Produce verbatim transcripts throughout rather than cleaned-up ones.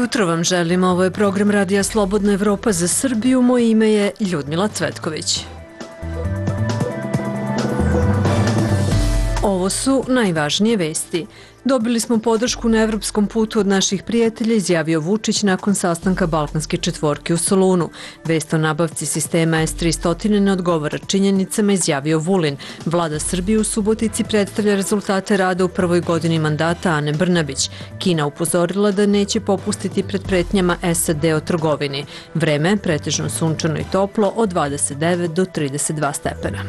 jutro vam želim, ovo je program Radija Slobodna Evropa za Srbiju, moje ime je Ljudmila Cvetković. Ovo su najvažnije vesti. Dobili smo podršku na evropskom putu od naših prijatelja, izjavio Vučić nakon sastanka Balkanske četvorke u Solunu. Vest o nabavci sistema S tristo ne odgovara činjenicama, izjavio Vulin. Vlada Srbije u Subotici predstavlja rezultate rada u prvoj godini mandata Ane Brnabić. Kina upozorila da neće popustiti pred pretnjama S A D o trgovini. Vreme pretežno sunčano i toplo od dvadeset devet do trideset dva stepena.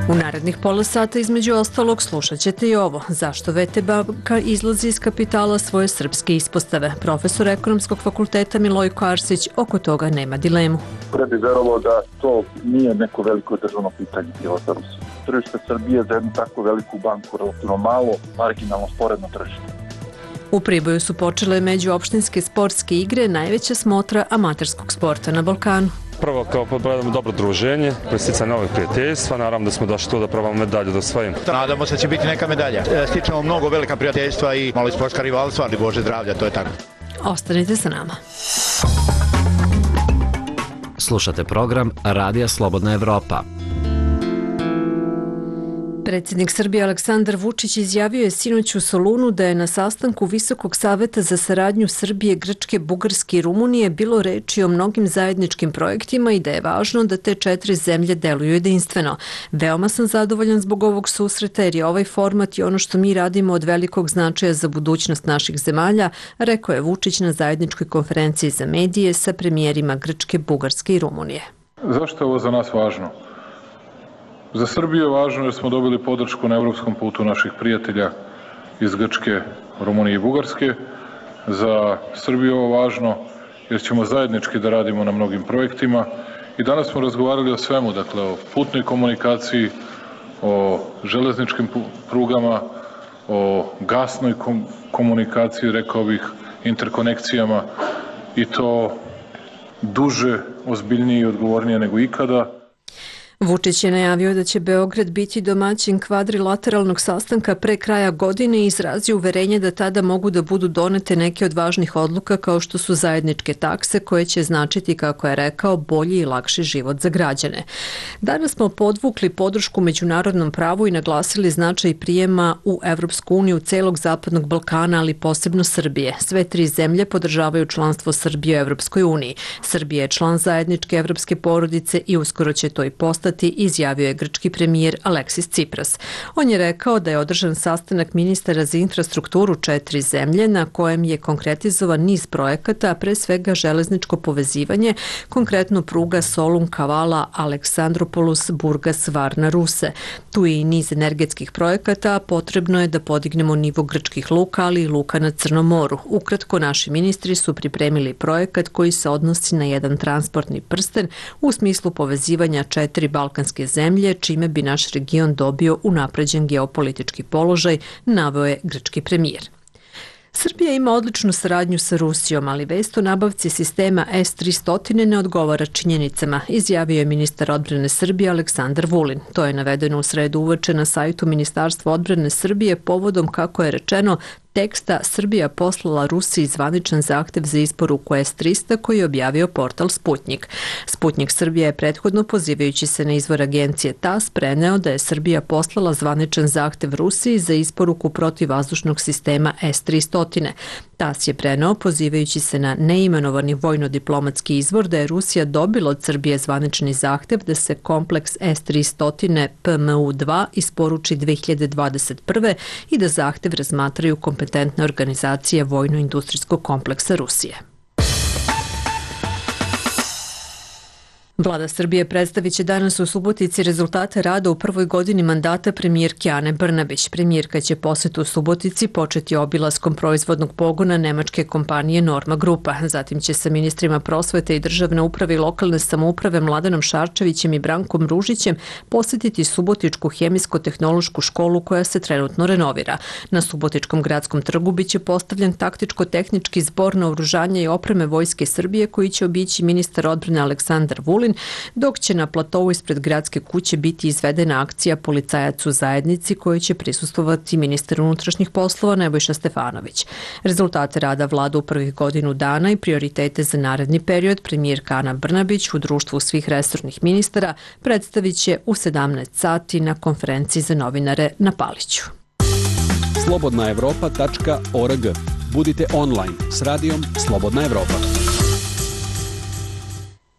U narednih pola sata između ostalog slušat ćete i ovo. Zašto V T banka izlazi iz kapitala svoje srpske ispostave? Profesor Ekonomskog fakulteta Milojko Arsić oko toga nema dilemu. Pre bi verovalo da to nije neko veliko državno pitanje pilota Rusije. Tržište Srbije za jednu tako veliku banku relativno malo, marginalno sporedno tržište. U Priboju su počele međuopštinske sportske igre, najveća smotra amaterskog sporta na Balkanu. Prvo kao podbredamo dobro druženje, presticanje novih prijateljstva, naravno da smo došli tu da probamo medalju da osvojimo. Nadamo se da će biti neka medalja. Stičemo mnogo velika prijateljstva i malo i sportska rivalstva, ali Bože zdravlja, to je tako. Ostanite sa nama. Slušate program Radija Slobodna Evropa. Predsjednik Srbije Aleksandar Vučić izjavio je sinoć u Solunu da je na sastanku Visokog saveta za saradnju Srbije, Grčke, Bugarske i Rumunije bilo reči o mnogim zajedničkim projektima i da je važno da te četiri zemlje deluju jedinstveno. Veoma sam zadovoljan zbog ovog susreta jer je ovaj format i ono što mi radimo od velikog značaja za budućnost naših zemalja, rekao je Vučić na zajedničkoj konferenciji za medije sa premijerima Grčke, Bugarske i Rumunije. Zašto je ovo za nas važno? Za Srbiju je važno jer smo dobili podršku na evropskom putu naših prijatelja iz Grčke, Rumunije i Bugarske. Za Srbiju je ovo važno jer ćemo zajednički da radimo na mnogim projektima i danas smo razgovarali o svemu, dakle o putnoj komunikaciji, o železničkim prugama, o gasnoj komunikaciji, rekao bih, interkonekcijama i to duže, ozbiljnije i odgovornije nego ikada. Vučić je najavio da će Beograd biti domaćin kvadrilateralnog sastanka pre kraja godine i izrazio uverenje da tada mogu da budu donete neke od važnih odluka kao što su zajedničke takse koje će značiti, kako je rekao, bolji i lakši život za građane. Danas smo podvukli podršku međunarodnom pravu i naglasili značaj prijema u Evropsku uniju celog Zapadnog Balkana, ali posebno Srbije. Sve tri zemlje podržavaju članstvo Srbije u Evropskoj uniji. Srbija je član zajedničke evropske porodice i uskoro će to i postati, izjavio je grčki premijer Aleksis Tsipras. On je rekao da je održan sastanak ministara za infrastrukturu četiri zemlje na kojem je konkretizovan niz projekata, a pre svega železničko povezivanje, konkretno pruga Solun-Kavala, Aleksandropolus, Burgas, Varna, Ruse. Tu je i niz energetskih projekata, potrebno je da podignemo nivo grčkih luka, ali i luka na Crnom moru. Ukratko, naši ministri su pripremili projekat koji se odnosi na jedan transportni prsten u smislu povezivanja četiri balkanske zemlje, čime bi naš region dobio unapređen geopolitički položaj, naveo je grčki premijer. Srbija ima odličnu saradnju sa Rusijom, ali vest o nabavci sistema S tristo ne odgovara činjenicama, izjavio je ministar odbrane Srbije Aleksandar Vulin. To je navedeno u sredu uveče na sajtu Ministarstva odbrane Srbije povodom, kako je rečeno, teksta Srbija poslala Rusiji zvaničan zahtev za isporuku S tristo koji je objavio portal Sputnjik. Sputnjik Srbija je prethodno, pozivajući se na izvor agencije T A S, preneo da je Srbija poslala zvaničan zahtev Rusiji za isporuku protivvazdušnog sistema S tristo. T A S je preneo, pozivajući se na neimenovani vojno-diplomatski izvor, da je Rusija dobila od Srbije zvanični zahtev da se kompleks S tristo P M U dva isporuči dve hiljade dvadeset prve i da zahtev razmatraju kompetentne organizacije vojno-industrijskog kompleksa Rusije. Vlada Srbije predstavit će danas u Subotici rezultate rada u prvoj godini mandata premijerke Ane Brnabić. Premijerka će posetu u Subotici početi obilaskom proizvodnog pogona nemačke kompanije Norma Grupa. Zatim će sa ministrima prosvete i državne uprave i lokalne samouprave Mladenom Šarčevićem i Brankom Ružićem posetiti Subotičku hemijsko-tehnološku školu koja se trenutno renovira. Na Subotičkom gradskom trgu biće postavljen taktičko-tehnički zbor naoružanja i opreme Vojske Srbije koji će obići ministar odbrane Aleksandar Vulin, Vulin, dok će na platovu ispred gradske kuće biti izvedena akcija Policajac u zajednici kojoj će prisustvovati ministar unutrašnjih poslova Nebojša Stefanović. Rezultate rada vlada u prvih godinu dana i prioritete za naredni period premijerka Ana Brnabić u društvu svih resornih ministara predstavit će u sedamnaest sati na konferenciji za novinare na Paliću. slobodna evropa tačka org. Budite online s radijom Slobodna Evropa.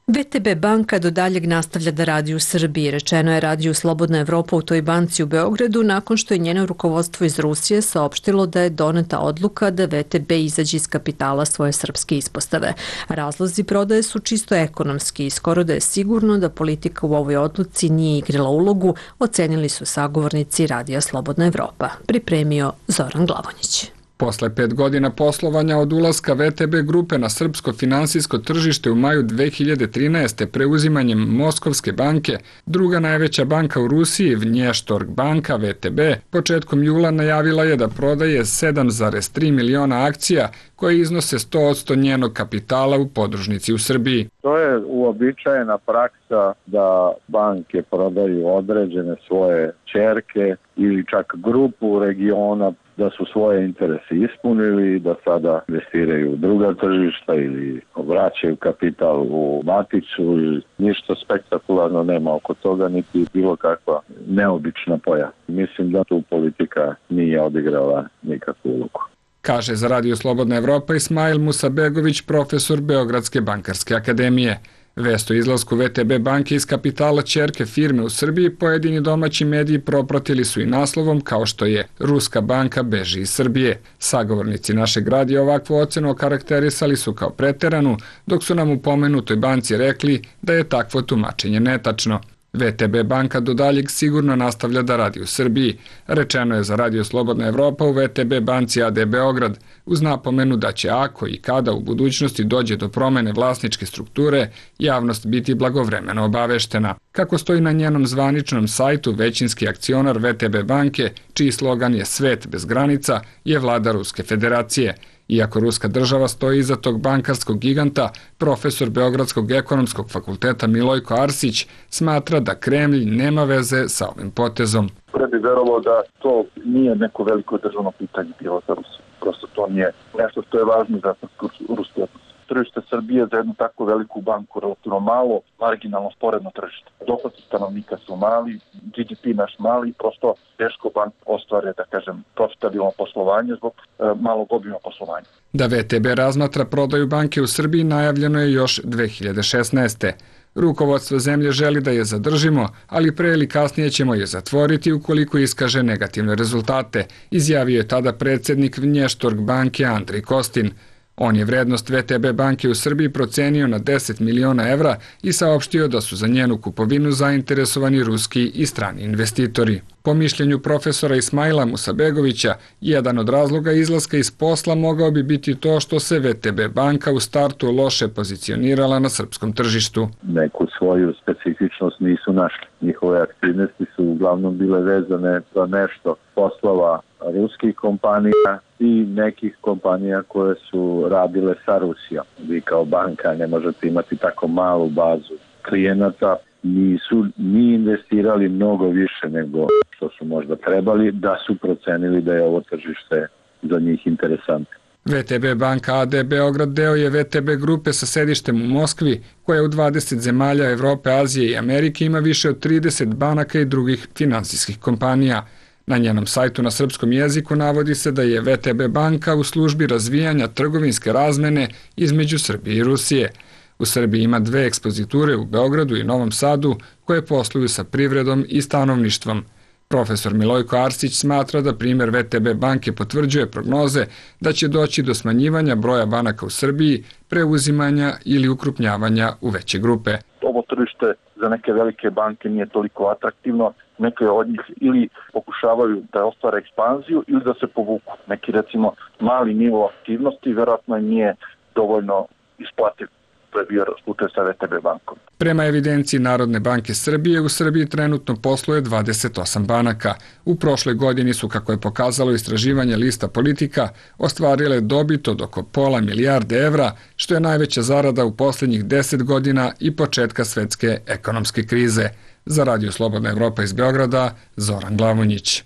ve te be banka do daljeg nastavlja da radi u Srbiji, rečeno je radiju Slobodna Evropa u toj banci u Beogradu nakon što je njeno rukovodstvo iz Rusije saopštilo da je doneta odluka da ve te be izađe iz kapitala svoje srpske ispostave. Razlozi prodaje su čisto ekonomski i skoro da je sigurno da politika u ovoj odluci nije igrala ulogu, ocenili su sagovornici radija Slobodna Evropa. Pripremio Zoran Glavonjić. Posle pet godina poslovanja od ulaska ve te be grupe na srpsko finansijsko tržište u maju dve hiljade trinaeste. preuzimanjem Moskovske banke, druga najveća banka u Rusiji, Vnještorg banka ve te be, početkom jula najavila je da prodaje sedam zarez tri miliona akcija koje iznose sto posto njenog kapitala u podružnici u Srbiji. To je uobičajena praksa da banke prodaju određene svoje ćerke ili čak grupu regiona da su svoje interese ispunili, da sada investiraju u druga tržišta ili vraćaju kapital u maticu i ništa spektakularno nema oko toga, niti bilo kakva neobična pojava. Mislim da tu politika nije odigrala nikakvu ulogu. Kaže za Radio Slobodna Evropa Ismail Musabegović, profesor Beogradske bankarske akademije. Vest o izlasku ve te be banke iz kapitala ćerke firme u Srbiji pojedini domaći mediji propratili su i naslovom kao što je Ruska banka beži iz Srbije. Sagovornici našeg radija ovakvu ocenu okarakterisali su kao preteranu, dok su nam u pomenutoj banci rekli da je takvo tumačenje netačno. ve te be banka do daljeg sigurno nastavlja da radi u Srbiji. Rečeno je za Radio Slobodna Evropa u ve te be banci a de Beograd, uz napomenu da će ako i kada u budućnosti dođe do promene vlasničke strukture, javnost biti blagovremeno obaveštena. Kako stoji na njenom zvaničnom sajtu, većinski akcionar ve te be banke, čiji slogan je Svet bez granica, je vlada Ruske federacije. Iako Ruska država stoji iza tog bankarskog giganta, profesor Beogradskog ekonomskog fakulteta Milojko Arsić smatra da Kremlj nema veze sa ovim potezom. Pre bi verovalo da to nije neko veliko državno pitanje bilo za Rusiju. Prosto to nije nešto što je važno za ruski odnos. Tržište Srbije za jednu tako veliku banku relativno malo, marginalno sporedno tržište. Dohoci stanovnika su mali, G D P naš mali, prosto teško bank ostvare, da kažem, profitabilno poslovanje zbog e, malog obima poslovanja. Da ve te be razmatra prodaju banke u Srbiji najavljeno je još dve hiljade šesnaeste. Rukovodstvo zemlje želi da je zadržimo, ali pre ili kasnije ćemo je zatvoriti ukoliko iskaže negativne rezultate, izjavio je tada predsjednik Vnještorg banke Andrej Kostin. On je vrednost ve te be banke u Srbiji procenio na deset miliona evra i saopštio da su za njenu kupovinu zainteresovani ruski i strani investitori. Po mišljenju profesora Ismaila Musabegovića, jedan od razloga izlaska iz posla mogao bi biti to što se ve te be banka u startu loše pozicionirala na srpskom tržištu. Neku svoju specifičnost nisu našli. Njihove aktivnosti su uglavnom bile vezane za nešto poslova ruskih kompanija i nekih kompanija koje su radile sa Rusijom. Vi kao banka ne možete imati tako malu bazu klijenata, nisu ni investirali mnogo više nego što su možda trebali, da su procenili da je ovo tržište za njih interesantno. ve te be banka a de Beograd deo je ve te be grupe sa sedištem u Moskvi, koja u dvadeset zemalja Evrope, Azije i Amerike ima više od trideset banaka i drugih finansijskih kompanija. Na njenom sajtu na srpskom jeziku navodi se da je ve te be banka u službi razvijanja trgovinske razmene između Srbije i Rusije. U Srbiji ima dve ekspoziture u Beogradu i Novom Sadu koje posluju sa privredom i stanovništvom. Profesor Milojko Arsić smatra da primjer ve te be banke potvrđuje prognoze da će doći do smanjivanja broja banaka u Srbiji, preuzimanja ili ukrupnjavanja u veće grupe. Ovo tržište za neke velike banke nije toliko atraktivno, neke od njih ili pokušavaju da ostvare ekspanziju ili da se povuku. Neki recimo mali nivo aktivnosti verovatno nije dovoljno isplativ. što je bio slučaj sa V T B bankom. Prema evidenciji Narodne banke Srbije, u Srbiji trenutno posluje dvadeset osam banaka. U prošloj godini su, kako je pokazalo istraživanje Lista Politika, ostvarile dobit od oko pola milijarde evra, što je najveća zarada u posljednjih deset godina i početka svetske ekonomske krize. Za Radio Slobodna Evropa iz Beograda, Zoran Glavonjić.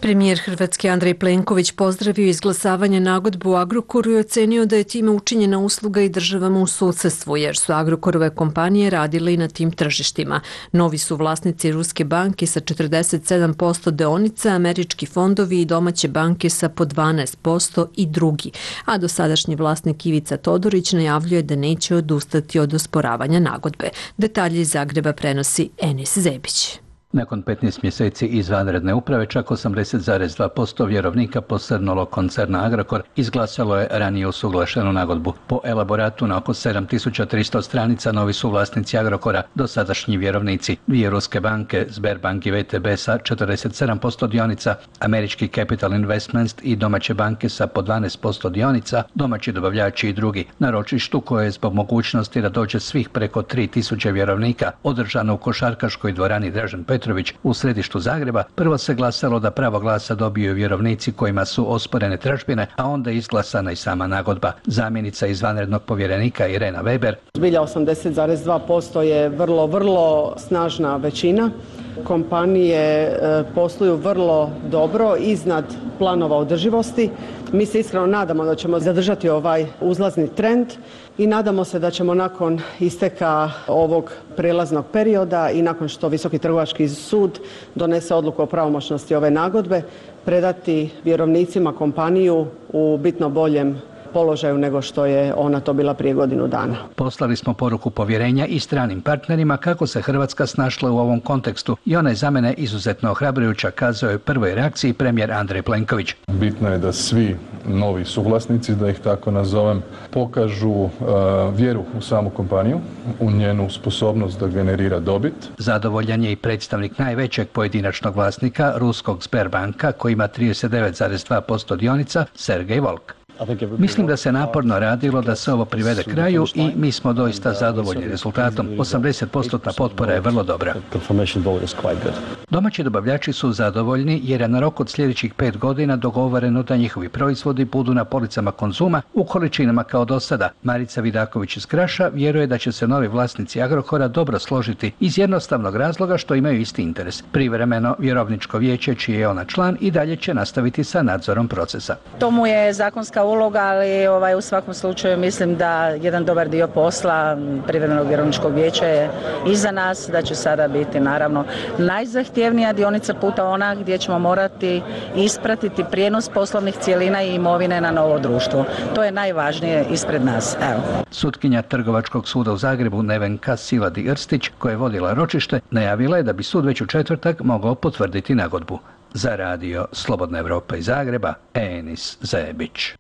Premijer Hrvatske Andrej Plenković pozdravio izglasavanje nagodbe u Agrokoru i ocenio da je time učinjena usluga i državama u susedstvu, jer su Agrokorove kompanije radile i na tim tržištima. Novi su vlasnici Ruske banke sa četrdeset sedam posto deonica, američki fondovi i domaće banke sa po dvanaest posto i drugi. A dosadašnji vlasnik Ivica Todorić najavljuje da neće odustati od osporavanja nagodbe. Detalje iz Zagreba prenosi Enis Zebić. Nakon petnaest mjeseci izvanredne uprave, čak osamdeset zarez dva posto vjerovnika posrnulog koncerna Agrokor izglasalo je ranije usuglašenu nagodbu. Po elaboratu na oko sedam tisuća tristo stranica novi su vlasnici Agrokora, dosadašnji vjerovnici, dvije ruske banke, Sberbank i V T B sa četrdeset sedam posto dionica, američki Capital Investments i domaće banke sa po dvanaest posto dionica, domaći dobavljači i drugi. Na ročištu, koje je zbog mogućnosti da dođe svih preko tri tisuće vjerovnika, održano u košarkaškoj dvorani Dražen Petrović u središtu Zagreba, prvo se glasalo da pravo glasa dobiju vjerovnici kojima su osporene tražbine, a onda izglasana i sama nagodba. Zamjenica izvanrednog povjerenika Irena Weber. Zbilja osamdeset zarez dva posto je vrlo, vrlo snažna većina. Kompanije posluju vrlo dobro, iznad planova održivosti. Mi se iskreno nadamo da ćemo zadržati ovaj uzlazni trend i nadamo se da ćemo nakon isteka ovog prelaznog perioda i nakon što Visoki trgovački sud donese odluku o pravomoćnosti ove nagodbe, predati vjerovnicima kompaniju u bitno boljem položaju nego što je ona to bila prije godinu dana. Poslali smo poruku povjerenja i stranim partnerima kako se Hrvatska snašla u ovom kontekstu i ona je za mene izuzetno ohrabrujuća, kazao je u prvoj reakciji premijer Andrej Plenković. Bitno je da svi novi suvlasnici, da ih tako nazovem, pokažu uh, vjeru u samu kompaniju, u njenu sposobnost da generira dobit. Zadovoljan je i predstavnik najvećeg pojedinačnog vlasnika, ruskog Sberbanka, koji ima trideset devet zarez dva posto dionica, Sergej Volk. Mislim da se naporno radilo da se ovo privede kraju i mi smo doista zadovoljni rezultatom. osamdeset posto potpora je vrlo dobra. Domaći dobavljači su zadovoljni jer je na rok od sljedećih pet godina dogovoreno da njihovi proizvodi budu na policama Konzuma u količinama kao do sada. Marica Vidaković iz Kraša vjeruje da će se novi vlasnici Agrokora dobro složiti iz jednostavnog razloga što imaju isti interes. Privremeno vjerovničko vijeće, čiji je ona član, i dalje će nastaviti sa nadzorom procesa. To mu je zakonska uloga, ali ovaj, u svakom slučaju mislim da jedan dobar dio posla privremenog vjerovničkog vijeća je iza nas, da će sada biti naravno najzahtjevnija dionica puta ona gdje ćemo morati ispratiti prijenos poslovnih cjelina i imovine na novo društvo. To je najvažnije ispred nas. Evo. Sutkinja Trgovačkog suda u Zagrebu Nevenka Siladi Irstić, koja je vodila ročište, najavila je da bi sud već u četvrtak mogao potvrditi nagodbu. Za radio Slobodna Evropa iz Zagreba, Enis Zebić.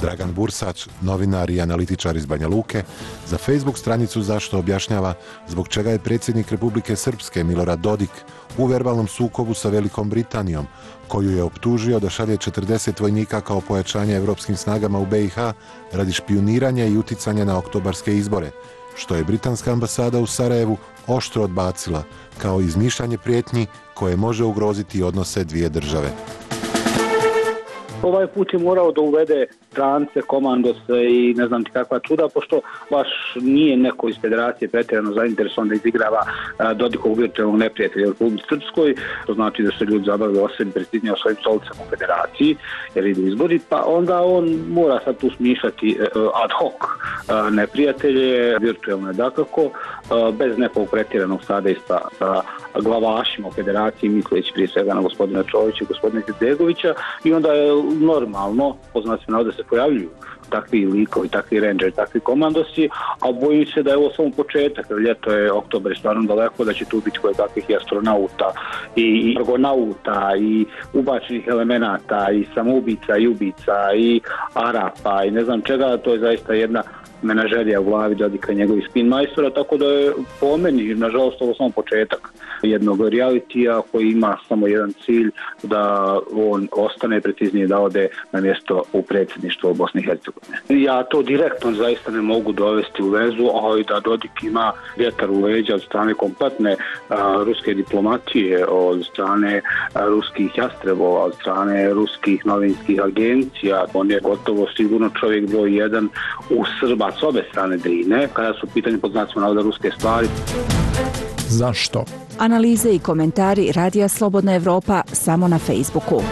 Dragan Bursać, novinar i analitičar iz Banja Luke, za Facebook stranicu Zašto objašnjava zbog čega je predsjednik Republike Srpske Milorad Dodik u verbalnom sukobu sa Velikom Britanijom, koju je optužio da šalje četrdeset vojnika kao pojačanje evropskim snagama u B i H radi špijuniranja i uticanja na oktobarske izbore, što je britanska ambasada u Sarajevu oštro odbacila kao izmišljanje prijetnji koje može ugroziti odnose dvije države. Ovaj put je morao da uvede strance, komandose i ne znam ti kakva čuda, pošto baš nije neko iz federacije pretjerano zainteresovan da izigrava Dodikov virtualnog neprijatelja u Republici Srpskoj. To znači da se ljudi zabavljaju o sebi, prestižnije o svojim stolicama u federaciji, jer idu izbori, pa onda on mora sad tu smišljati ad hoc neprijatelje, virtualne dakako, bez nekog pretjeranog sadejstva sa glavašima u federaciji, misleći prije svega na gospodina Čovića i gospodina Izetbegovića, i onda je normalno, poznat se da se pojavljuju takvi likovi, takvi rangeri, takvi komandosi, a bojim se da je ovo samo početak, jer ljeto je, oktober je stvarno daleko, da će tu biti koje kakvih i astronauta i argonauta i ubačenih elemenata i samoubica i ubica i Arapa i ne znam čega, to je zaista jedna menažerija u glavi Dodika i njegovih spin majstora, tako da je po meni, nažalost, ovo samo početak jednog realitija koji ima samo jedan cilj, da on ostane, preciznije da ode na mjesto u predsjedništvu Bosne i Hercegovine. Ja to direktno zaista ne mogu dovesti u vezu, ali da Dodik ima vjetar u leđa od strane kompletne a, ruske diplomatije, od strane a, ruskih jastrebova, od strane ruskih novinskih agencija, on je gotovo sigurno čovjek broj jedan u Srba s obe strane Drine, kada su pitanje pod znacima navoda ruske stvari. Zašto? Analize i komentari Radija Slobodna Evropa samo na Facebooku.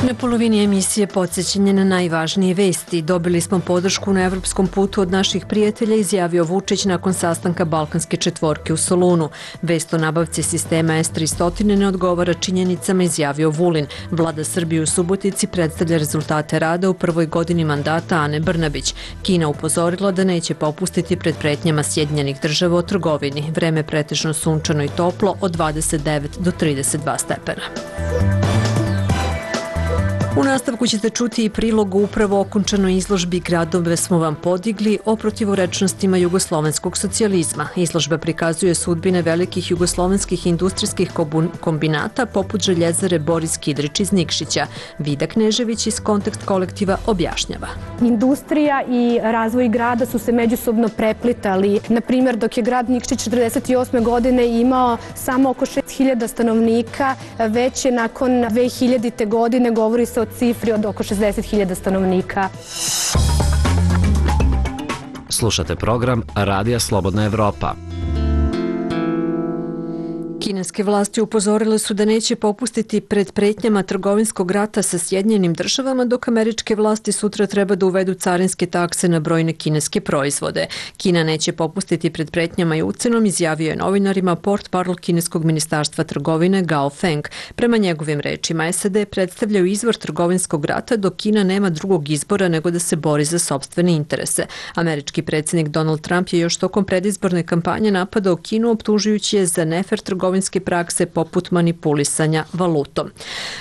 Na polovini emisije podsjećanje na najvažnije vesti. Dobili smo podršku na evropskom putu od naših prijatelja, izjavio Vučić nakon sastanka Balkanske četvorke u Solunu. Vest o nabavci sistema S tristo ne odgovara činjenicama, izjavio Vulin. Vlada Srbije u Subotici predstavlja rezultate rada u prvoj godini mandata Ane Brnabić. Kina upozorila da neće popustiti pred pretnjama Sjedinjenih država o trgovini. Vreme pretežno sunčano i toplo od dvadeset devet do trideset dva stepena. U nastavku ćete čuti i prilog u upravo okončanoj izložbi Gradove smo vam podigli o protivorečnostima jugoslovenskog socijalizma. Izložba prikazuje sudbine velikih jugoslovenskih industrijskih kombinata poput željezare Boris Kidrić iz Nikšića. Vida Knežević iz Kontekst kolektiva objašnjava. Industrija i razvoj grada su se međusobno preplitali. Na primjer, dok je grad Nikšić četrdeset osme godine imao samo oko šest hiljada stanovnika, već je nakon dve hiljadite godine govori se o cifri od oko šezdeset hiljada stanovnika. Slušate program Radija Slobodna Evropa. Kineske vlasti upozorile su da neće popustiti pred pretnjama trgovinskog rata sa Sjedinjenim državama, dok američke vlasti sutra treba da uvedu carinske takse na brojne kineske proizvode. Kina neće popustiti pred pretnjama i ucenom, izjavio je novinarima portparol kineskog ministarstva trgovine Gao Feng. Prema njegovim rečima, S A D predstavljaju izvor trgovinskog rata, dok Kina nema drugog izbora nego da se bori za sopstvene interese. Američki predsjednik Donald Trump je još tokom predizborne kampanje napadao Kinu, optužujući je za nefer trgovinske prakse poput manipulisanja valutom.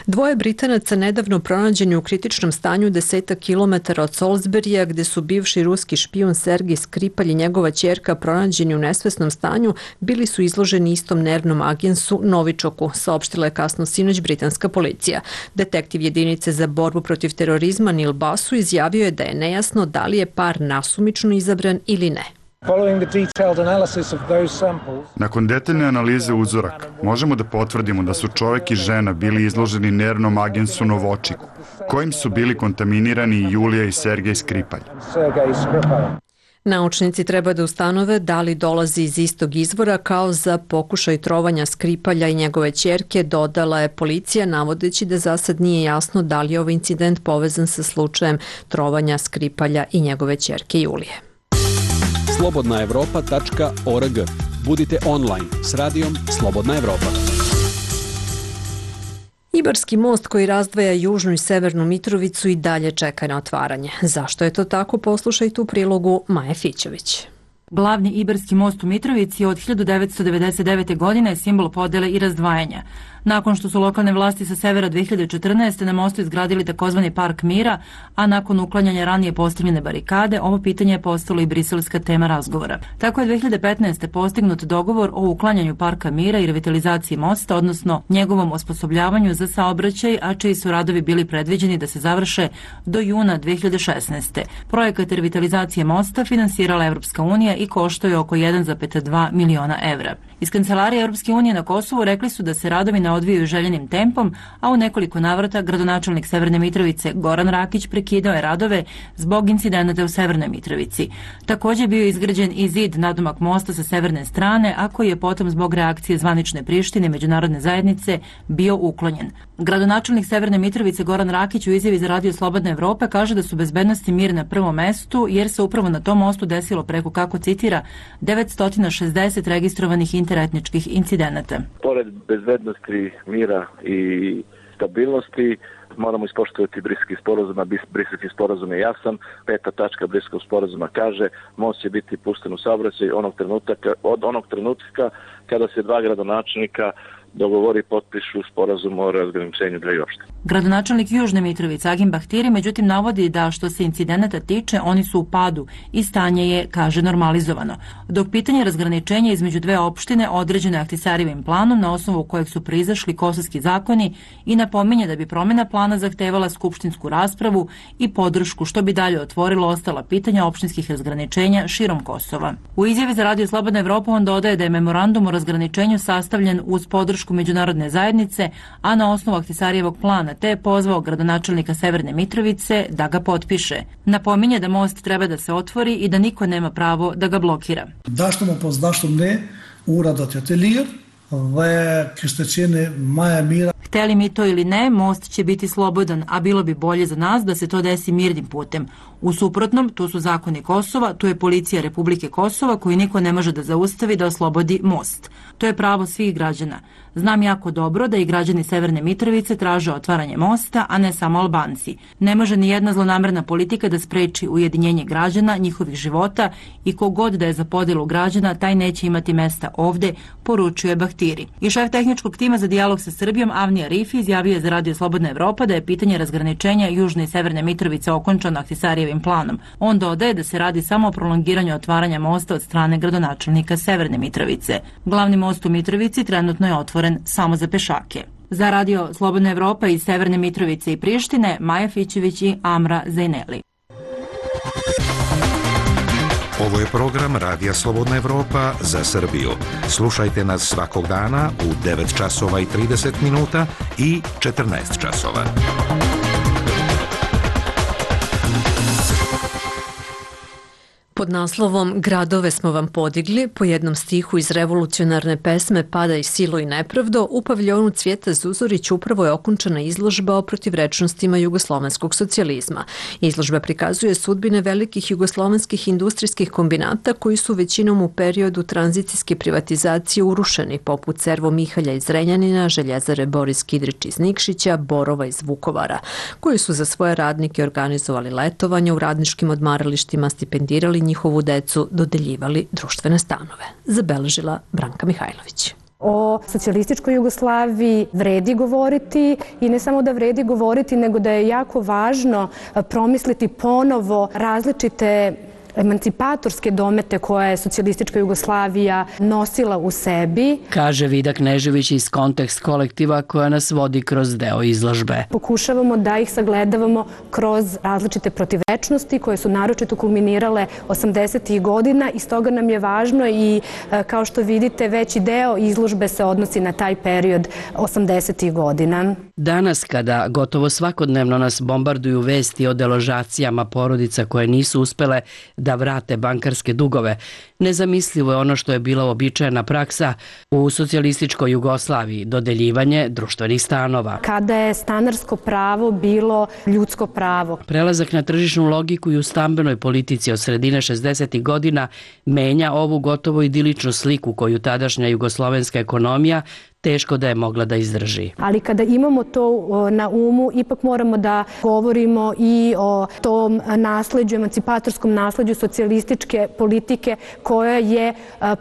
Dvoje Britanaca nedavno pronađeni u kritičnom stanju desetak kilometara od Salisburya, gde su bivši ruski špijun Sergij Skripalj i njegova ćerka pronađeni u nesvesnom stanju, bili su izloženi istom nervnom agensu Novičoku, saopštila je kasno sinoć britanska policija. Detektiv jedinice za borbu protiv terorizma Neil Basu izjavio je da je nejasno da li je par nasumično izabran ili ne. Nakon detaljne analize uzoraka, možemo da potvrdimo da su čovjek i žena bili izloženi nervnom agensu Novočiku, kojim su bili kontaminirani Julija i Sergej Skripalj. Naučnici treba da ustanove da li dolazi iz istog izvora kao za pokušaj trovanja Skripalja i njegove ćerke, dodala je policija, navodeći da za sad nije jasno da li je ovaj incident povezan sa slučajem trovanja Skripalja i njegove ćerke Julije. slobodna evropa tačka org. Budite online s radijom Slobodna Evropa. Ibarski most koji razdvaja južnu i severnu Mitrovicu i dalje čeka na otvaranje. Zašto je to tako? Poslušajte u prilogu Maje Fićović. Glavni Ibarski most u Mitrovici od hiljadu devetsto devedeset devete. godine je simbol podele i razdvajanja. Nakon što su lokalne vlasti sa severa dve hiljade četrnaeste. na mostu izgradili takozvani Park mira, a nakon uklanjanja ranije postavljene barikade, ovo pitanje je postalo i briselska tema razgovora. Tako je dve hiljade petnaeste. postignut dogovor o uklanjanju Parka mira i revitalizaciji mosta, odnosno njegovom osposobljavanju za saobraćaj, a čiji su radovi bili predviđeni da se završe do juna dve hiljade šesnaeste. Projekat revitalizacije mosta finansirala Evropska unija i koštao je oko jedan zarez dva miliona evra. Iz Kancelarije Evropske unije na Kosovu rekli su da se radovi ne odvijaju željenim tempom, a u nekoliko navrata gradonačelnik Severne Mitrovice Goran Rakić prekidao je radove zbog incidenata u Severnoj Mitrovici. Također bio izgrađen i zid nadomak mosta sa severne strane, a koji je potom zbog reakcije zvanične Prištine i međunarodne zajednice bio uklonjen. Gradonačelnik Severne Mitrovice Goran Rakić u izjavi za Radio Slobodna Evropa kaže da su bezbednost i mir na prvom mestu, jer se upravo na tom mostu desilo preko, kako citira, devetsto šezdeset registrovanih interetničkih incidenata. Pored bezbednosti, mira i stabilnosti. Moramo ispoštovati Briselski sporazum, a Briselski sporazum je jasan. Peta tačka Briselskog sporazuma kaže most će biti pušten u saobraćaj onog trenutka, od onog trenutka kada se dva gradonačelnika dogovori i potpišu sporazum o razgraničenju dve opštine. Gradonačelnik Južne Mitrovice Agim Bahtiri međutim navodi da što se incidenata tiče oni su u padu i stanje je, kaže, normalizovano. Dok pitanje razgraničenja između dve opštine određeno je Ahtisarijevim planom na osnovu kojeg su proizašli kosovski zakoni i napominje da bi promjena plana zahtevala skupštinsku raspravu i podršku što bi dalje otvorilo ostala pitanja opštinskih razgraničenja širom Kosova. U izjavi za Radio Slobodna Evropa on dodaje da je memorandum o razgraničenju sastavljen uz podršku međunarodne zajednice, a na osnovu Ahtisarijevog plana, te je pozvao gradonačelnika Severne Mitrovice da ga potpiše. Napominje da most treba da se otvori i da niko nema pravo da ga blokira. Dashëm apo s'dashëm ne, ura do të jetë e lirë dhe kishte qenë më e mira. Hteli mi to ili ne, most će biti slobodan, a bilo bi bolje za nas da se to desi mirnim putem. U suprotnom, tu su zakoni Kosova, tu je policija Republike Kosova koju niko ne može da zaustavi da oslobodi most. To je pravo svih građana. Znam jako dobro da i građani Severne Mitrovice traže otvaranje mosta, a ne samo Albanci. Ne može ni jedna zlonamerna politika da spreči ujedinjenje građana, njihovih života i kogod da je za podelu građana, taj neće imati mesta ovde, poručuje Bahtiri. I šef tehničkog tima za dijalog sa Srbijom Avni Arifi izjavio je za Radio Slobodna Evropa da je pitanje razgraničenja Južne i Severne Mitrovice okončano Ahtisarijevim planom. On dodaje da se radi samo o prolongiranju otvaranja mosta od strane gradonačelnika Severne Mitrovice. Glavni most u Mitrovici trenutno je otvoren samo za pešake. Za Radio Slobodna Evropa iz Severne Mitrovice i Prištine, Maja Fićević i Amra Zajneli. Ovo je program Radija Slobodna Evropa za Srbiju. Slušajte nas svakog dana u devet časova i trideset minuta i četrnaest časova. Pod naslovom Gradove smo vam podigli, po jednom stihu iz revolucionarne pesme Pada i silo i nepravdo, u paviljonu Cvijeta Zuzorić upravo je okončana izložba o protivrečnostima jugoslovenskog socijalizma. Izložba prikazuje sudbine velikih jugoslovenskih industrijskih kombinata koji su većinom u periodu tranzicijske privatizacije urušeni, poput Servo Mihalja iz Renjanina, Željezare Boris Kidrić iz Nikšića, Borova iz Vukovara, koji su za svoje radnike organizovali letovanje u radničkim odmaralištima, stipendirali njihovu decu, dodeljivali društvene stanove. Zabeležila Branka Mihajlović. O socijalističkoj Jugoslaviji vredi govoriti i ne samo da vredi govoriti, nego da je jako važno promisliti ponovo različite emancipatorske domete koje je socijalistička Jugoslavija nosila u sebi. Kaže Vida Knežević iz Kontekst kolektiva koja nas vodi kroz deo izložbe. Pokušavamo da ih sagledavamo kroz različite protivečnosti koje su naročito kulminirale osamdesetih godina i stoga nam je važno i kao što vidite veći deo izložbe se odnosi na taj period osamdesetih godina. Danas kada gotovo svakodnevno nas bombarduju vesti o deložacijama porodica koje nisu uspele da vrate bankarske dugove, nezamislivo je ono što je bila uobičajena praksa u socijalističkoj Jugoslaviji, dodeljivanje društvenih stanova. Kada je stanarsko pravo bilo ljudsko pravo. Prelazak na tržišnu logiku i u stambenoj politici od sredine šezdesetih godina menja ovu gotovo idiličnu sliku koju tadašnja jugoslovenska ekonomija teško da je mogla da izdrži. Ali kada imamo to na umu, ipak moramo da govorimo i o tom nasleđu, emancipatorskom nasleđu socijalističke politike koja je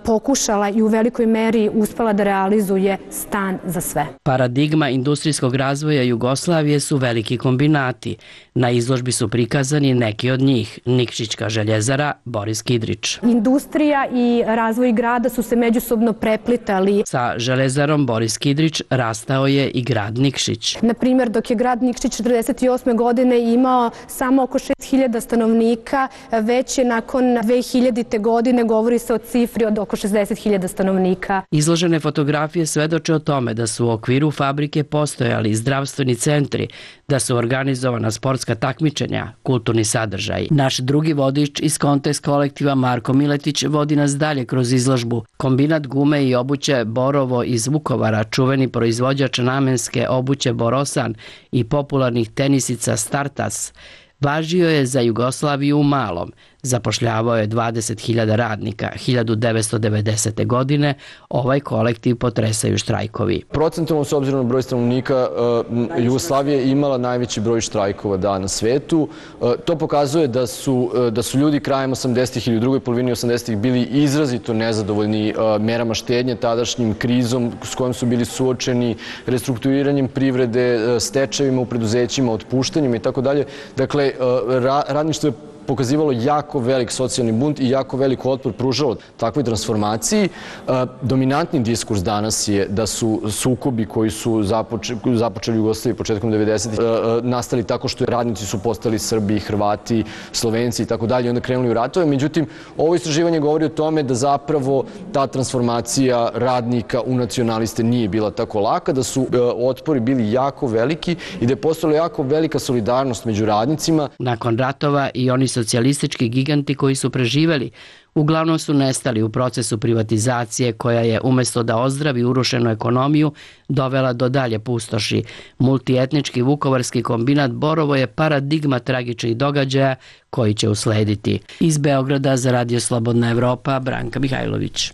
pokušala i u velikoj meri uspela da realizuje stan za sve. Paradigma industrijskog razvoja Jugoslavije su veliki kombinati. Na izložbi su prikazani neki od njih. Nikšićka željezara, Boris Kidrić. Industrija i razvoj grada su se međusobno preplitali. Sa železarom Boris Kidrić rastao je i grad Nikšić. Na primjer, dok je grad Nikšić četrdeset osme godine imao samo oko šest hiljada stanovnika, već je nakon dve hiljadite godine govori se o cifri od oko šezdeset hiljada stanovnika. Izložene fotografije svedoče o tome da su u okviru fabrike postojali zdravstveni centri, da su organizovana sportska takmičenja, kulturni sadržaj. Naš drugi vodič iz Kontekst kolektiva Marko Miletić vodi nas dalje kroz izložbu. Kombinat gume i obuće Borovo iz Vukovara, čuveni proizvođač namenske obuće Borosan i popularnih tenisica Startas, Važio je za Jugoslaviju u malom. Zapošljavao je dvadeset hiljada radnika. hiljadu devetsto devedesete. godine ovaj kolektiv potresaju štrajkovi. Procentualno, s obzirom na broj stanovnika, Jugoslavija je imala najveći broj štrajkova da na svetu. To pokazuje da su, da su ljudi krajem osamdesetih ili u drugoj polovini osamdesetih bili izrazito nezadovoljni merama štednje, tadašnjim krizom s kojom su bili suočeni, restrukturiranjem privrede, stečajevima u preduzećima, otpuštanjima i tako dalje. Dakle, radništvo je pokazivalo jako velik socijalni bunt i jako velik otpor pružalo takvoj transformaciji. Dominantni diskurs danas je da su sukobi koji su započeli u Jugoslaviji početkom devedesetih nastali tako što radnici su postali Srbi, Hrvati, Slovenci i tako dalje i onda krenuli u ratove. Međutim, ovo istraživanje govori o tome da zapravo ta transformacija radnika u nacionaliste nije bila tako laka, da su otpori bili jako veliki i da je postojala jako velika solidarnost među radnicima. Nakon ratova i oni socijalistički giganti koji su preživeli uglavnom su nestali u procesu privatizacije koja je umjesto da ozdravi urušenu ekonomiju dovela do dalje pustoši. Multietnički vukovarski kombinat Borovo je paradigma tragičnih događaja koji će uslediti. Iz Beograda za Radio Slobodna Evropa, Branka Mihajlović.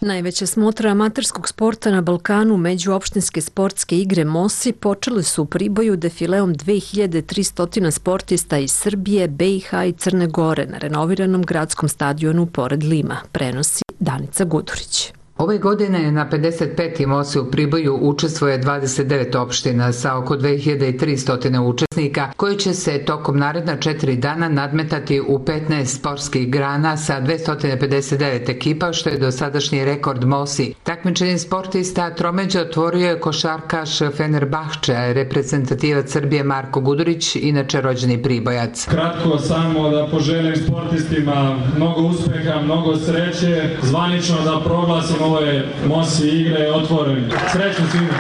Najveća smotra amaterskog sporta na Balkanu, međuopštinske sportske igre MOSI, počele su u Priboju defileom dve hiljade tristo sportista iz Srbije, B i H i Crne Gore na renoviranom gradskom stadionu pored Lima, prenosi Danica Gudurić. Ove godine na pedeset peti MOSI u Priboju učestvuje dvadeset devet opština sa oko dve hiljade tristo učesnika koji će se tokom naredna četiri dana nadmetati u petnaest sportskih grana sa dvesta pedeset devet ekipa, što je dosadašnji rekord MOSI. Takmičenje sportista tromeđe otvorio je košarkaš Fenerbahče, reprezentativac Srbije Marko Gudurić, inače rođeni Pribojac. Kratko samo da poželim sportistima mnogo uspeha, mnogo sreće, zvanično da proglasimo ove MOSI igre otvorene. Srećno svima!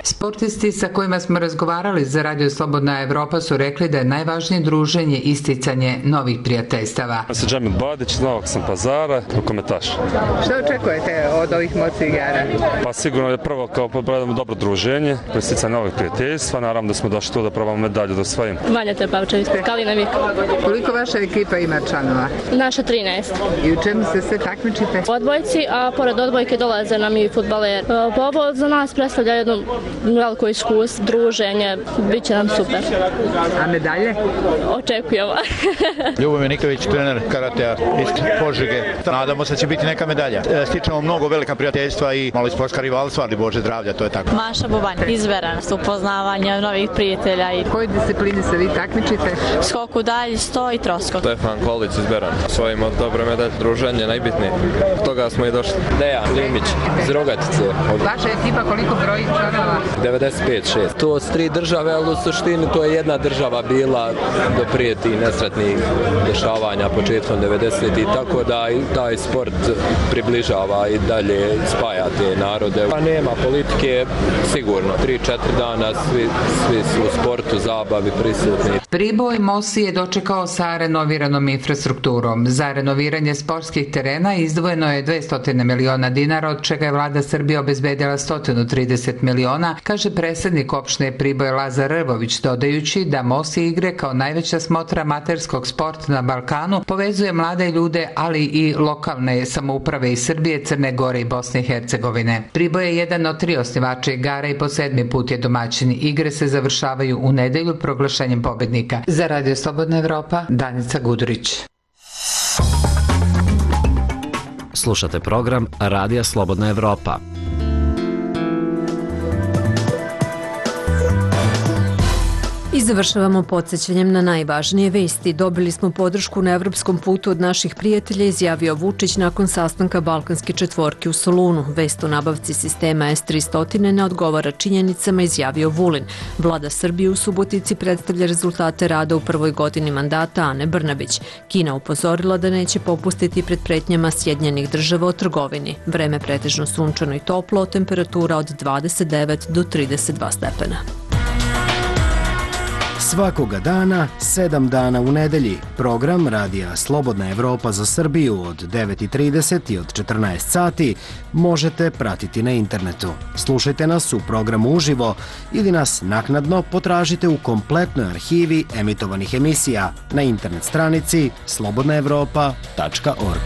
Sportisti sa kojima smo razgovarali za Radio Slobodna Evropa su rekli da je najvažnije druženje isticanje novih prijateljstava. Ja sam Džemil Badić, iz Novog sam Pazara, rukometaš. Što očekujete od ovih MOSI igara? Pa sigurno je prvo kao probamo dobro druženje, isticanje novih prijateljstva, naravno da smo došli tu da probamo medalju da osvojimo. Vanja Tepavčević, Kalina Miko. Koliko vaša ekipa ima članova? Naša trinaest. I u čemu se sve takmičite? U odbojci, a pored odbojke dolaze nam i fudbaleri. Ovo za nas predstavlja jednu veliko iskustvo, druženje, bit će nam super. A medalje? Očekujemo. Ljubomir Nikolić, trener karatea iz Požege. Nadamo se da će biti neka medalja. Stičemo mnogo velika prijateljstva i malo sportska rivalstva, ali Bože zdravlja, to je tako. Maša Bubanj, izveren, upoznavanje novih prijatelja. U kojoj disciplini se vi takmičite? Skok u dalj, sto i troskok. Stefan Kolić iz Beran. Svojimo dobre medalje, druženje, najbitnije. Od toga smo i došli. Dejan Limić iz Rogatice. Vaša ekipa koliko broji članova? devedeset pet šest. To su tri države, ali u suštini to je jedna država bila do prije tih nesretnih dešavanja početkom devedesetih, tako da i taj sport približava i dalje spaja te narode. Pa nema politike, sigurno. tri četiri dana svi, svi su u sportu, zabavi prisutni. Priboj MOSI je dočekao sa renoviranom infrastrukturom. Za renoviranje sportskih terena izdvojeno je dvesta miliona dinara, od čega je vlada Srbije obezbedila sto trideset miliona, kaže predsjednik opštine Priboj Lazar Rvović, dodajući da MOSI igre kao najveća smotra amaterskog sporta na Balkanu povezuje mlade ljude, ali i lokalne samouprave iz Srbije, Crne Gore i Bosne i Hercegovine. Priboj je jedan od tri osnivača igara i po sedmi put je domaćin. Igre se završavaju u nedelju proglašenjem pobednika. Za Radio Slobodna Evropa, Danica Gudurić. Slušate program Radija Slobodna Evropa. I završavamo podsjećanjem na najvažnije vesti. Dobili smo podršku na evropskom putu od naših prijatelja, izjavio Vučić nakon sastanka Balkanske četvorke u Solunu. Vest o nabavci sistema S tristo ne odgovara činjenicama, izjavio Vulin. Vlada Srbije u Subotici predstavlja rezultate rada u prvoj godini mandata Ane Brnabić. Kina upozorila da neće popustiti pred pretnjama Sjedinjenih država o trgovini. Vreme pretežno sunčano i toplo, temperatura od dvadeset devet do trideset dva stepena. Svakoga dana, sedam dana u nedelji, program Radija Slobodna Evropa za Srbiju od devet i trideset i od četrnaest sati možete pratiti na internetu. Slušajte nas u programu uživo ili nas naknadno potražite u kompletnoj arhivi emitovanih emisija na internet stranici slobodna evropa tačka org.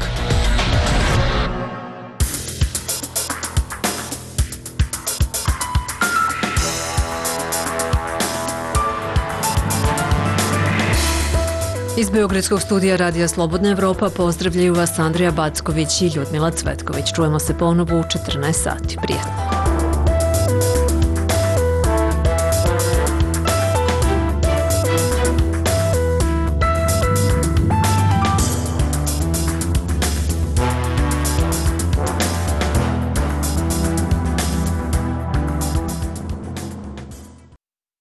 Iz Beogradskog studija Radija Slobodna Evropa pozdravljaju vas Andrija Backović i Ljudmila Cvetković. Čujemo se ponovo u četrnaest sati. Prijetno.